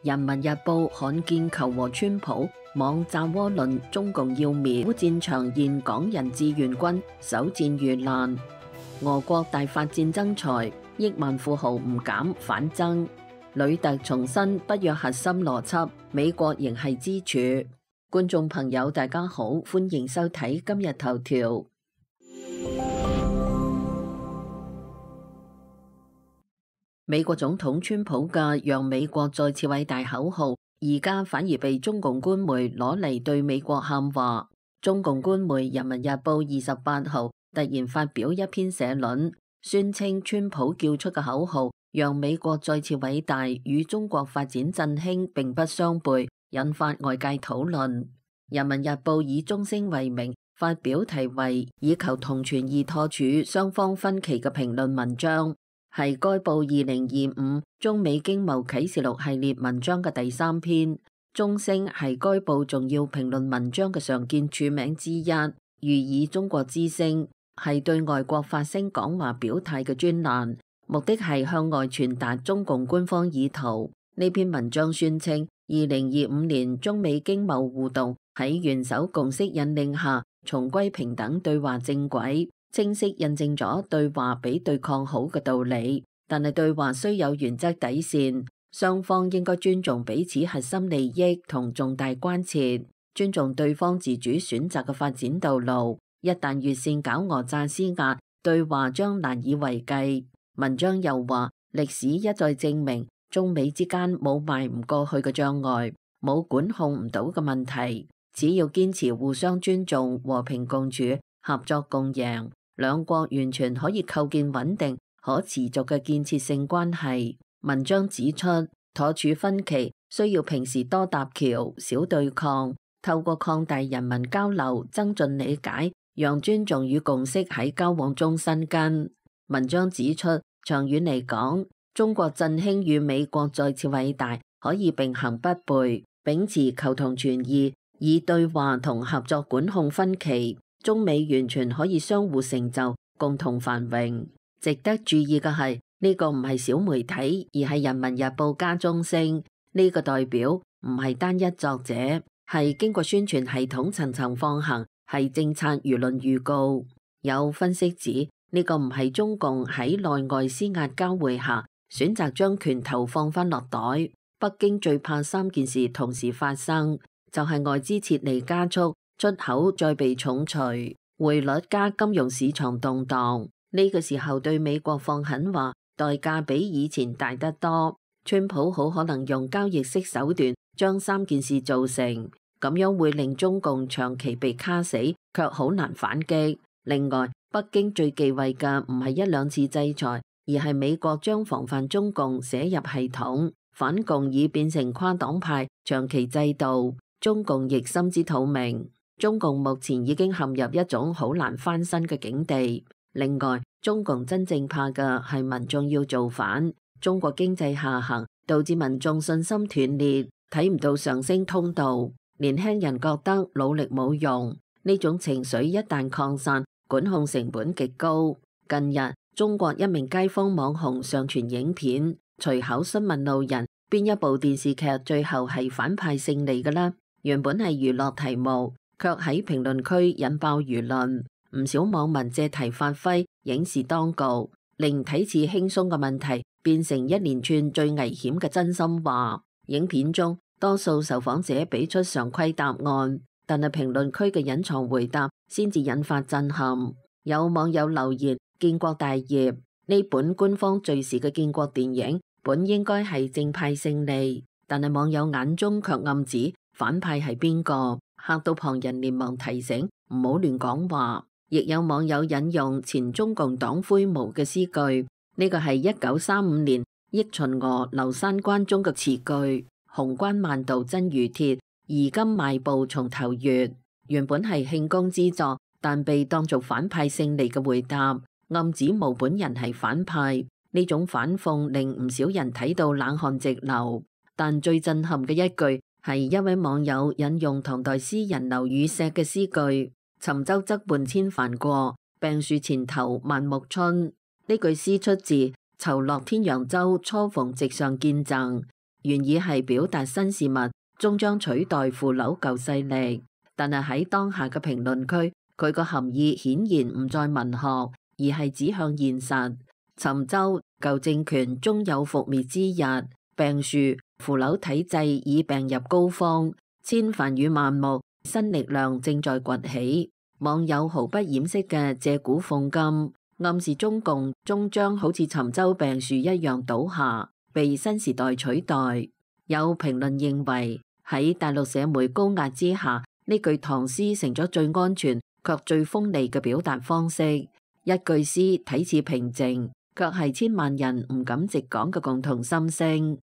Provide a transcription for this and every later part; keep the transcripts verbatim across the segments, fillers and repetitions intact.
人民日報罕見求和川普，網炸渦論中共要滅烏戰場現港人志願軍首戰遇難。俄國大發戰爭財，億萬富豪唔減反增。呂特重申北約核心邏輯，美國仍係支柱。觀眾朋友大家好，歡迎收睇今日頭條。美國總統川普嘅讓美國再次偉大口號，而家反而被中共官媒攞嚟對美國喊話。中共官媒《人民日報》二十八號突然發表一篇社論，宣稱川普叫出嘅口號讓美國再次偉大與中國發展振興並不相悖，引發外界討論。《人民日報》以中聲為名發表題為以求同存異妥處雙方分歧嘅評論文章，係該報二零二五中美經貿啟示錄系列文章嘅第三篇。中聲係該報重要評論文章嘅常見署名之一，寓意中國之聲，係對外國發聲講話表態嘅專欄，目的係向外傳達中共官方意圖。呢篇文章宣稱，二零二五年中美經貿互動喺元首共識引領下重歸平等對話正軌，清晰印證咗對話比對抗好嘅道理。但係對話需有原則底線，雙方應該尊重彼此核心利益同重大關切，尊重對方自主選擇嘅發展道路。一旦越線搞訛詐施壓，對話將難以為繼。文章又話，歷史一再證明中美之間冇邁唔過去嘅障礙，冇管控唔到嘅問題。只要堅持互相尊重、和平共處、合作共贏，兩國完全可以構建穩定、可持續嘅建設性關係。文章指出，妥處分歧需要平時多搭橋、少對抗，透過擴大人民交流、增進理解，讓尊重與共識喺交往中生根。文章指出，長遠嚟講，中國振興與美國再次偉大可以並行不悖，秉持求同存異，以對話同合作管控分歧，中美完全可以相互成就，共同繁榮。值得注意嘅係，呢個唔係小媒體，而係人民日報加中聲。呢個代表唔係單一作者，係經過宣傳系統層層放行，係政策輿論預告。有分析指，呢個唔係中共喺內外施壓交匯下選擇將拳頭放翻落袋。北京最怕三件事同時發生，就係外資撤離加速，出口再被重錘，匯率加金融市場動盪。呢個時候對美國放狠話，代價比以前大得多。川普好可能用交易式手段將三件事做成，咁樣會令中共長期被卡死，卻好難反擊。另外，北京最忌諱嘅唔係一兩次制裁，而係美國將防範中共寫入系統，反共已變成跨黨派長期制度。中共亦心知肚明，中共目前已經陷入一種好難翻身嘅境地。另外，中共真正怕嘅係民眾要造反。中國經濟下行導致民眾信心斷裂，睇唔到上升通道。年輕人覺得努力冇用，呢種情緒一旦擴散，管控成本極高。近日，中國一名街坊網紅上傳影片，隨口詢問路人邊一部電視劇最後係反派勝利嘅啦。原本係娛樂題目，卻喺評論區引爆輿論。唔少網民借題發揮，影視當局，令睇似輕鬆嘅問題變成一連串最危險嘅真心話。影片中多數受訪者俾出常規答案，但係評論區嘅隱藏回答先至引發震撼。有網友留言：建國大業，呢本官方敘事嘅建國電影本應該係正派勝利，但係網友眼中卻暗指反派係邊個，嚇到旁人連忙提醒唔好亂講話。亦有網友引用前中共黨魁毛嘅詩句，呢個係一九三五年憶秦娥劉三關中嘅詞句：紅關萬道真如鐵，而今邁步從頭越。原本係慶功之作，但被當作反派勝利嘅回答，暗指毛本人係反派。呢種反諷令唔少人睇到冷汗直流。但最震撼嘅一句係一位網友引用唐代詩人劉禹錫嘅詩句：沉舟側畔千帆過，病樹前頭萬木春。呢句詩出自酬洛天揚舟初逢直上見贈，原意係表達新事物終將取代腐朽舊勢力，但係喺當下嘅評論區，佢個含義顯然唔再文學，而係指向現實。尋舟舊政權終有覆滅之日，病樹腐朽體制已病入膏肓，千帆與萬木新力量正在崛起。網友毫不掩飾嘅借古諷今，暗示中共終將好似尋舟病樹一樣倒下，被新時代取代。有評論認為喺大陸社媒高壓之下，呢句唐詩成咗最安全卻最鋒利嘅表達方式。一句詩睇似平靜，卻係千萬人唔敢直講嘅共同心聲。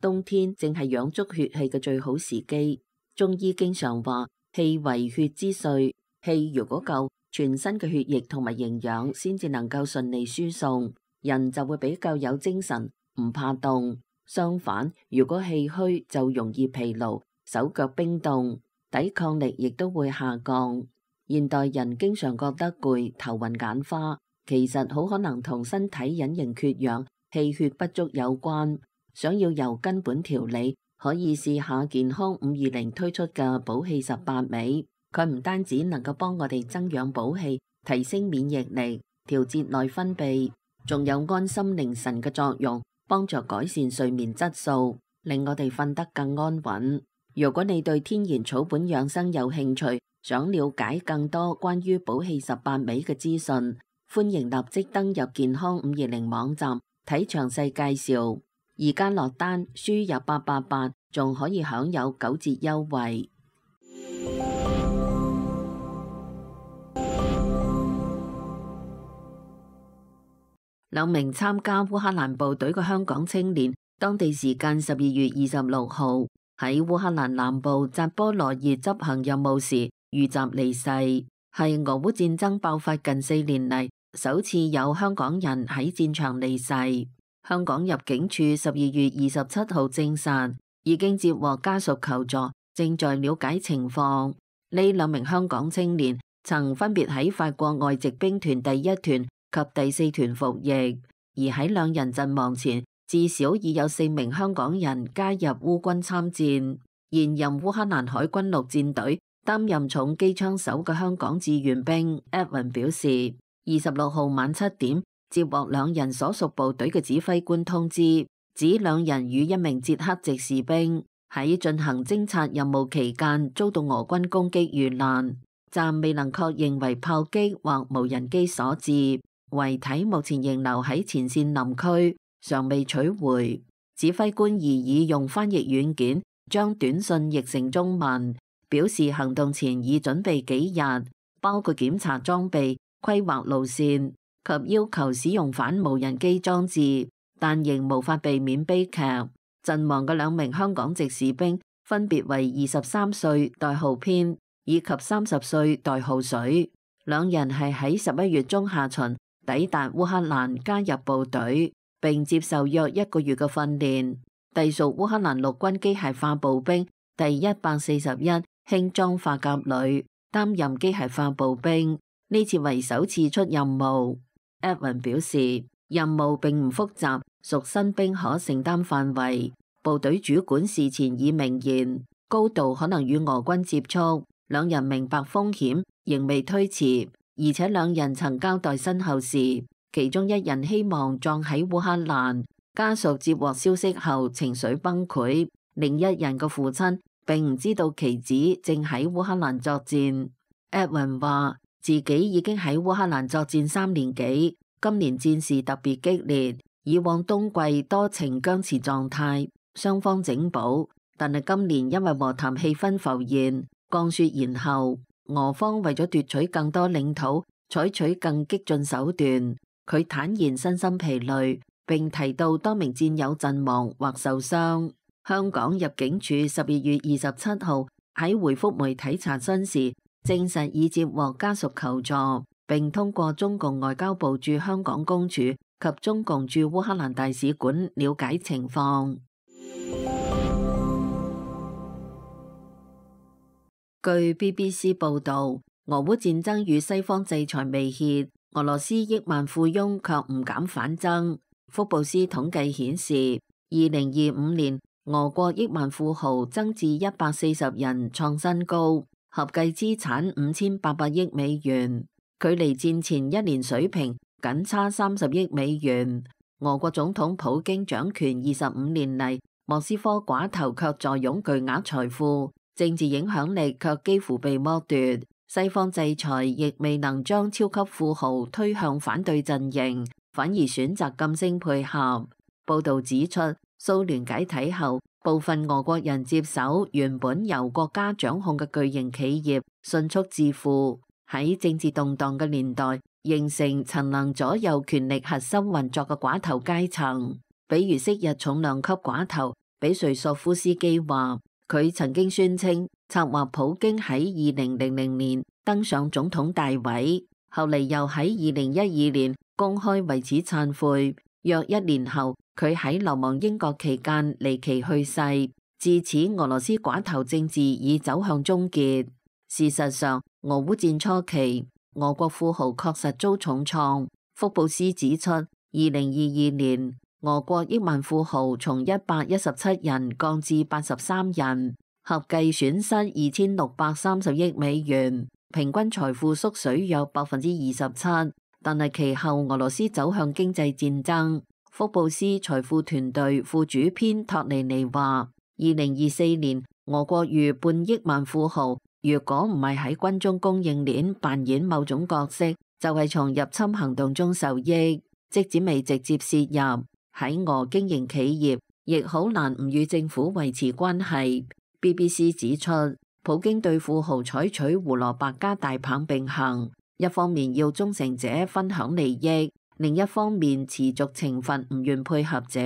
冬天正係養足血氣嘅最好時機。中醫經常話氣為血之髓，氣如果夠，全身嘅血液同埋營養先至能夠順利輸送，人就會比較有精神，唔怕凍。相反，如果氣虛就容易疲勞，手腳冰凍，抵抗力亦都會下降。現代人經常覺得攰、頭暈眼花，其實好可能同身體隱形缺氧、氣血不足有關。想要由根本調理，可以試下健康五二零推出嘅補氣十八味。佢唔單止能夠幫我哋增養補氣、提升免疫力、調節內分泌，仲有安心寧神嘅作用，幫助改善睡眠質素，令我哋瞓得更安穩。如果你對天然草本養生有興趣，想了解更多關於補氣十八味嘅資訊，歡迎立即登入健康五二零網站睇詳細介紹。而家落單輸入八八八，仲可以享有九折優惠。兩名參加烏克蘭部隊嘅香港青年，當地時間十二月二十六號喺烏克蘭南部扎波羅熱執行任務時遇襲離世，係俄烏戰爭爆發近四年嚟首次有香港人喺戰場離世。香港入境處十二月二十七號證實，已經接獲家屬求助，正在了解情況。呢兩名香港青年曾分別喺法國外籍兵團第一團及第四團服役，而喺兩人陣亡前，至少已有四名香港人加入烏軍參戰。現任烏克蘭海軍陸戰隊擔任重機槍手嘅香港志願兵 Edwin 表示，二十六號晚七點接獲兩人所屬部隊嘅指揮官通知，指兩人與一名捷克籍士兵喺進行偵察任務期間遭到俄軍攻擊遇難，暫未能確認為炮擊或無人機所致，遺體目前仍留喺前線林區，尚未取回。指揮官而已用翻譯軟件將短信譯成中文，表示行動前已準備幾日，包括檢查裝備、規劃路線及要求使用反無人機裝置，但仍無法避免悲劇。陣亡嘅兩名香港籍士兵分別為二十三歲代號編以及三十歲代號水，兩人係喺十一月中下旬抵達烏克蘭加入部隊，並接受約一個月嘅訓練。隸屬烏克蘭陸軍機械化步兵第一百四十一輕裝化甲旅，擔任機械化步兵，呢次為首次出任務。Edwin 表示，任務並唔複雜，屬新兵可承擔範圍。部隊主管事前已明言，高度可能與俄軍接觸。兩人明白風險，仍未推辭，而且兩人曾交代身後事，其中一人希望葬喺烏克蘭。家屬接獲消息後情緒崩潰，另一人嘅父親並唔知道其子正喺烏克蘭作戰。Edwin 話自己已經喺烏克蘭作戰三年幾，今年戰事特別激烈，以往冬季多呈僵持狀態，雙方整補，但係今年因為和談氣氛浮現，降雪延後，俄方為咗奪取更多領土，採取更激進手段。佢坦言身心疲累，並提到多名戰友陣亡或受傷。香港入境處十二月二十七號喺回覆媒體查詢時，證實已接獲家屬求助，並通過中共外交部駐香港公署及中共駐烏克蘭大使館了解情況。據 B B C 報導，俄烏戰爭與西方制裁未歇，俄羅斯億萬富翁卻唔減反增。福布斯統計顯示，二零二五年俄國億萬富豪增至一百四十人，創新高，合計資產五千八百億美元，距離戰前一年水平僅差三十億美元。俄國總統普京掌權二十五年嚟，莫斯科寡頭卻坐擁巨額財富，政治影響力卻幾乎被剝奪。西方制裁亦未能將超級富豪推向反對陣營，反而選擇噤聲配合。報導指出，蘇聯解體後，部分俄國人接手原本由國家掌控嘅巨型企業，迅速致富。喺政治動盪嘅年代，形成曾能左右權力核心運作嘅寡頭階層。比如昔日重量級寡頭比瑞索夫斯基話，佢曾經宣稱策劃普京喺二零零零年登上總統大位，後嚟又喺二零一二年公開為此懺悔。約一年後，佢喺流亡英國期間離奇去世。自此，俄羅斯寡頭政治已走向終結。事實上，俄烏戰初期，俄國富豪確實遭重創。福布斯指出，二零二二年俄國億萬富豪從一百一十七人降至八十三人，合計損失二千六百三十億美元，平均財富縮水約百分之二十七。但係其後俄羅斯走向經濟戰爭。福布斯財富團隊副主編托尼尼話，二零二四年俄國逾半億萬富豪，如果唔係喺軍中供應鏈扮演某種角色，就係從入侵行動中受益。即使未直接涉入，喺俄經營企業，亦好難唔與政府維持關係。B B C 指出，普京對富豪採取胡蘿蔔加大棒並行，一方面要忠誠者分享利益，另一方面持續懲罰唔願配合者。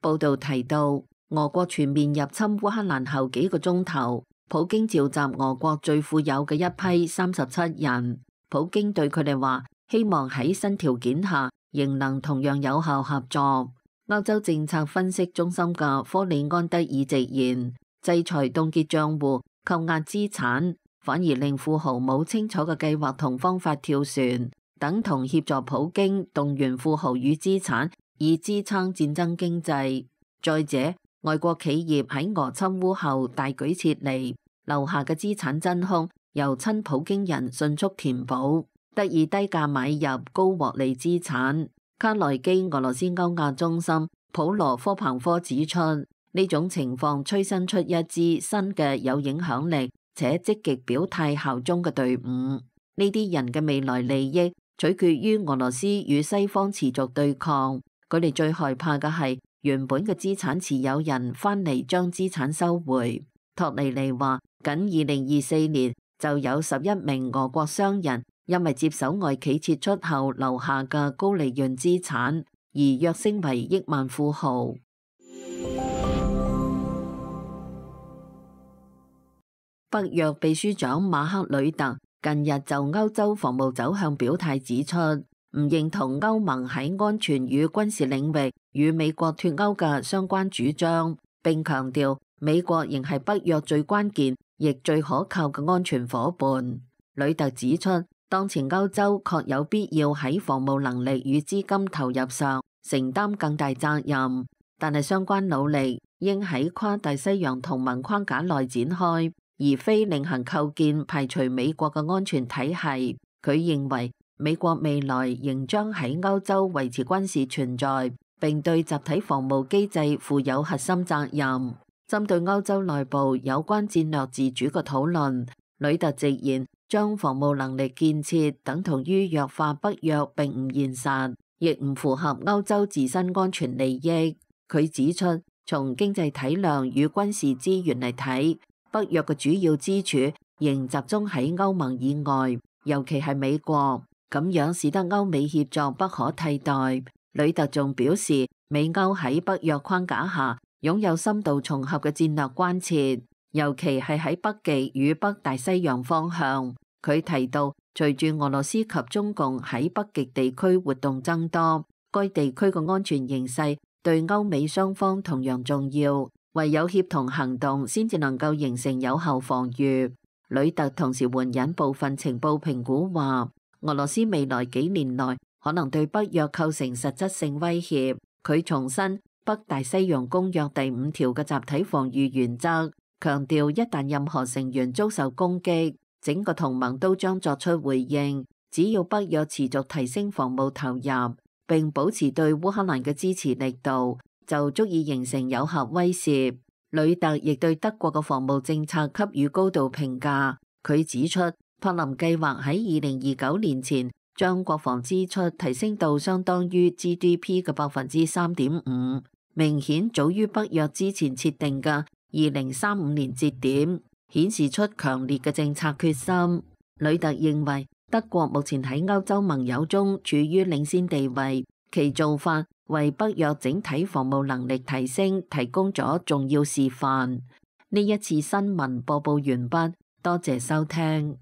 報道提到，俄國全面入侵烏克蘭後幾個鐘頭，普京召集俄國最富有嘅一批三十七人，普京對佢哋話，希望喺新條件下仍能同樣有效合作。歐洲政策分析中心嘅科里安德爾直言，制裁凍結賬戶、扣押資產，反而令富豪冇清楚嘅計劃同方法跳船，等同協助普京動員富豪與資產，以支撐戰爭經濟。再者，外國企業喺俄侵烏後大舉撤離，留下嘅資產真空由親普京人迅速填補，得以低價買入高獲利資產。卡內基俄羅斯歐亞中心普羅科彭科指出，呢種情況催生出一支新嘅有影響力且積極表態效忠嘅隊伍。呢啲人嘅未來利益取決於俄羅斯與西方持續對抗。佢哋最害怕嘅係原本嘅資產持有人翻嚟將資產收回。托尼尼話，僅二零二四年就有十一名俄國商人因為接手外企撤出後留下嘅高利潤資產，而躍升為億萬富豪。北約秘書長馬克呂特近日就歐洲防務走向表態，指出唔認同歐盟喺安全與軍事領域與美國脫歐嘅相關主張，並強調美國仍係北約最關鍵亦最可靠嘅安全夥伴。呂特指出，當前歐洲確有必要喺防務能力與資金投入上承擔更大責任，但係相關努力應喺跨大西洋同盟框架內展開，而非另行構建排除美國嘅安全體系。佢認為美國未來仍將喺歐洲維持軍事存在，並對集體防務機制負有核心責任。針對歐洲內部有關戰略自主嘅討論，呂特直言將防務能力建設等同於弱化北約並唔現實，亦唔符合歐洲自身安全利益。佢指出，從經濟體量與軍事資源嚟睇，北約嘅主要支柱仍集中喺歐盟以外，尤其係美國，咁樣使得歐美協作不可替代。呂特仲表示，美歐喺北約框架下擁有深度重合嘅戰略關切，尤其係喺北極與北大西洋方向。佢提到，隨住俄羅斯及中共喺北極地區活動增多，該地區嘅安全形勢對歐美雙方同樣重要，唯有協同行動先至能夠形成有效防禦。呂特同時援引部分情報評估話，俄羅斯未來幾年內可能對北約構成實質性威脅。佢重申北大西洋公約第五條嘅集體防禦原則，強調一旦任何成員遭受攻擊，整個同盟都將作出回應。只要北約持續提升防務投入，並保持對烏克蘭嘅支持力度，就足以形成有效威懾。呂特亦對德國嘅防務政策給予高度評價。佢指出，柏林計劃喺二零二九年前將國防支出提升到相當於 G D P 嘅百分之三點五，明顯早於北約之前設定嘅二零三五年節點，顯示出強烈嘅政策決心。呂特認為，德國目前喺歐洲盟友中處於領先地位，其做法為北約整體防務能力提升提供咗重要示範。呢一次新聞播報完畢，多謝收聽。